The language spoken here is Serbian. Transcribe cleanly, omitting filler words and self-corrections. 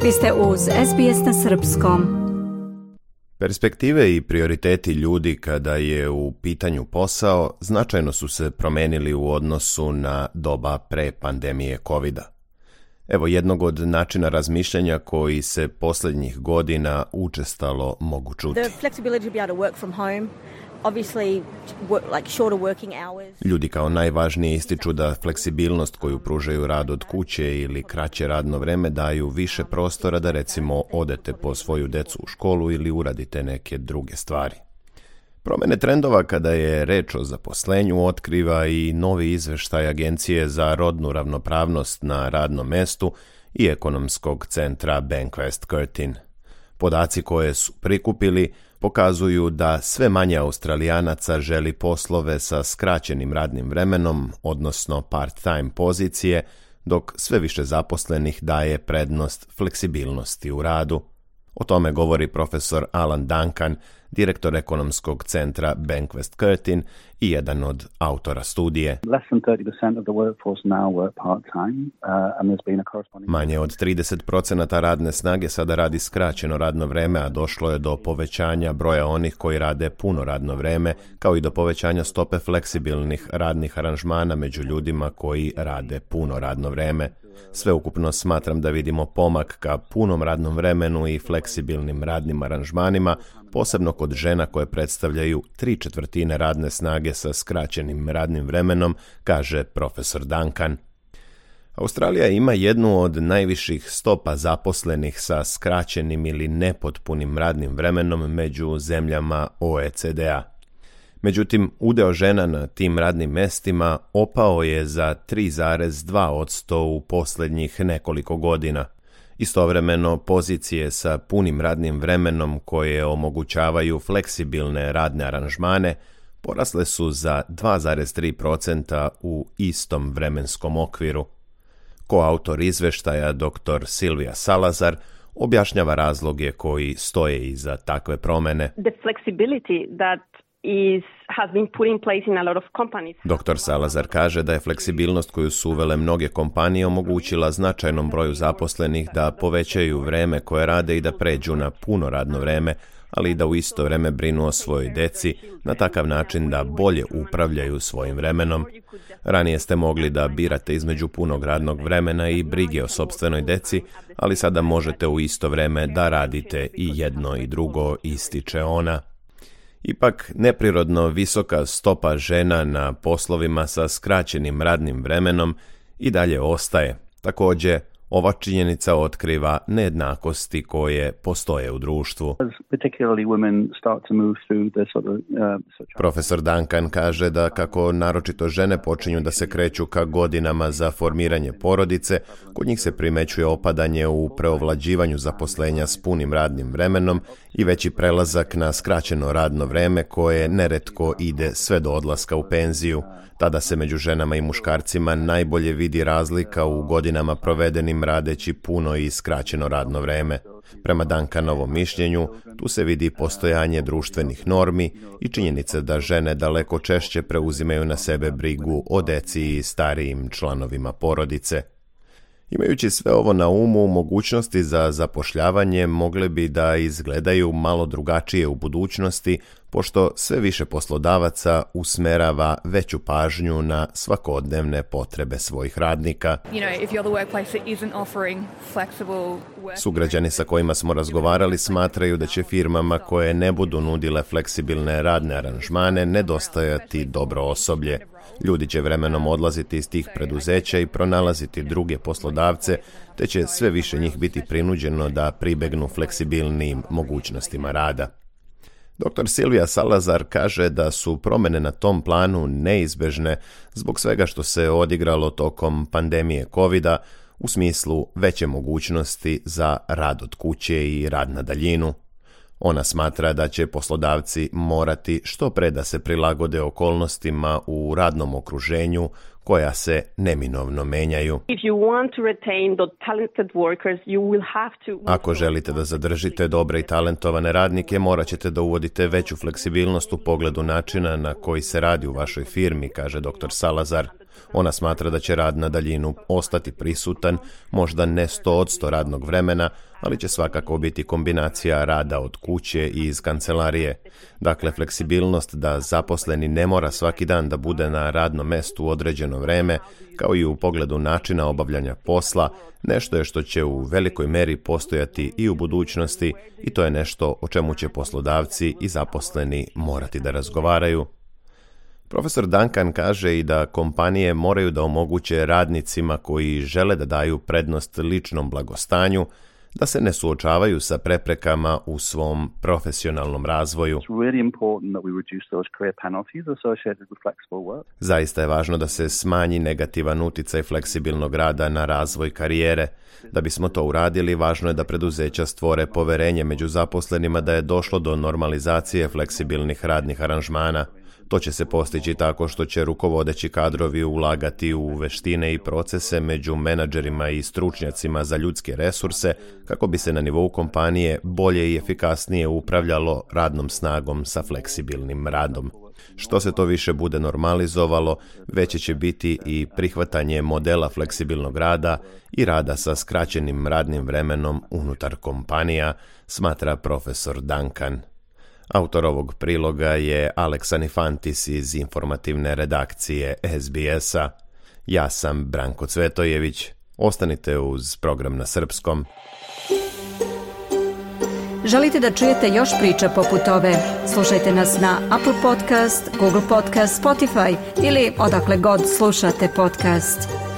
Vi ste uz SBS na srpskom. Perspektive i prioriteti ljudi kada je u pitanju posao značajno su se promenili u odnosu na doba pre pandemije covida. Evo jednog od načina razmišljanja koji se posljednjih godina učestalo mogu čuti. Ljudi kao najvažnije ističu da fleksibilnost koju pružaju rad od kuće ili kraće radno vreme daju više prostora da recimo odete po svoju decu u školu ili uradite neke druge stvari. Promjene trendova kada je reč o zaposlenju otkriva i novi izveštaj Agencije za rodnu ravnopravnost na radnom mestu i ekonomskog centra Bankwest Curtin. Podaci koje su prikupili pokazuju da sve manje Australijanaca želi poslove sa skraćenim radnim vremenom, odnosno part-time pozicije, dok sve više zaposlenih daje prednost fleksibilnosti u radu. O tome govori profesor Alan Duncan, direktor ekonomskog centra Bankwest Curtin i jedan od autora studije. Manje od 30% radne snage sada radi skraćeno radno vreme, a došlo je do povećanja broja onih koji rade puno radno vreme, kao i do povećanja stope fleksibilnih radnih aranžmana među ljudima koji rade puno radno vreme. Sveukupno smatram da vidimo pomak ka punom radnom vremenu i fleksibilnim radnim aranžmanima, posebno kod žena koje predstavljaju 3/4 radne snage sa skraćenim radnim vremenom, kaže profesor Duncan. Australija ima jednu od najviših stopa zaposlenih sa skraćenim ili nepotpunim radnim vremenom među zemljama OECD-a. Međutim, udeo žena na tim radnim mestima opao je za 3,2% u posljednjih nekoliko godina. Istovremeno, pozicije sa punim radnim vremenom koje omogućavaju fleksibilne radne aranžmane porasle su za 2,3% u istom vremenskom okviru. Koautor izveštaja dr. Silvia Salazar objašnjava razloge koji stoje iza takve promene. Dr. Salazar kaže da je fleksibilnost koju su uvele mnoge kompanije omogućila značajnom broju zaposlenih da povećaju vreme koje rade i da pređu na puno radno vreme, ali i da u isto vreme brinu o svojoj deci na takav način da bolje upravljaju svojim vremenom. Ranije ste mogli da birate između punog radnog vremena i brige o sopstvenoj deci, ali sada možete u isto vreme da radite i jedno i drugo, ističe ona. Ipak, neprirodno visoka stopa žena na poslovima sa skraćenim radnim vremenom i dalje ostaje. Također, ova činjenica otkriva nejednakosti koje postoje u društvu. Profesor Duncan kaže da kako naročito žene počinju da se kreću ka godinama za formiranje porodice, kod njih se primećuje opadanje u preovlađivanju zaposlenja s punim radnim vremenom i veći prelazak na skraćeno radno vreme koje neretko ide sve do odlaska u penziju. Tada se među ženama i muškarcima najbolje vidi razlika u godinama provedenim radeći puno i skraćeno radno vreme. Prema Duncanovom mišljenju, tu se vidi postojanje društvenih normi i činjenica da žene daleko češće preuzimaju na sebe brigu o deci i starijim članovima porodice. Imajući sve ovo na umu, mogućnosti za zapošljavanje mogle bi da izgledaju malo drugačije u budućnosti, pošto sve više poslodavaca usmerava veću pažnju na svakodnevne potrebe svojih radnika. Sugrađani sa kojima smo razgovarali smatraju da će firmama koje ne budu nudile fleksibilne radne aranžmane nedostajati dobro osoblje. Ljudi će vremenom odlaziti iz tih preduzeća i pronalaziti druge poslodavce, te će sve više njih biti prinuđeno da pribegnu fleksibilnijim mogućnostima rada. Dr. Silvia Salazar kaže da su promjene na tom planu neizbežne zbog svega što se odigralo tokom pandemije covida u smislu veće mogućnosti za rad od kuće i rad na daljinu. Ona smatra da će poslodavci morati što pre da se prilagode okolnostima u radnom okruženju koja se neminovno menjaju. Ako želite da zadržite dobre i talentovane radnike, morat ćete da uvodite veću fleksibilnost u pogledu načina na koji se radi u vašoj firmi, kaže dr. Salazar. Ona smatra da će rad na daljinu ostati prisutan, možda ne 100% radnog vremena, ali će svakako biti kombinacija rada od kuće i iz kancelarije. Dakle, fleksibilnost da zaposleni ne mora svaki dan da bude na radnom mestu u određeno vreme, kao i u pogledu načina obavljanja posla, nešto je što će u velikoj meri postojati i u budućnosti i to je nešto o čemu će poslodavci i zaposleni morati da razgovaraju. Profesor Duncan kaže i da kompanije moraju da omoguće radnicima koji žele da daju prednost ličnom blagostanju, da se ne suočavaju sa preprekama u svom profesionalnom razvoju. Zaista je važno da se smanji negativan uticaj fleksibilnog rada na razvoj karijere. Da bismo to uradili, važno je da preduzeća stvore poverenje među zaposlenima da je došlo do normalizacije fleksibilnih radnih aranžmana. To će se postići tako što će rukovodeći kadrovi ulagati u veštine i procese među menadžerima i stručnjacima za ljudske resurse kako bi se na nivou kompanije bolje i efikasnije upravljalo radnom snagom sa fleksibilnim radom. Što se to više bude normalizovalo, veće će biti i prihvatanje modela fleksibilnog rada i rada sa skraćenim radnim vremenom unutar kompanija, smatra profesor Duncan. Autor ovog priloga je Alex Anifantis iz informativne redakcije SBS-a. Ja sam Branko Cvetojević. Ostanite uz program na srpskom. Želite da čujete još priča poput ove? Slušajte nas na Apple Podcast, Google Podcast, Spotify ili odakle god slušate podcast.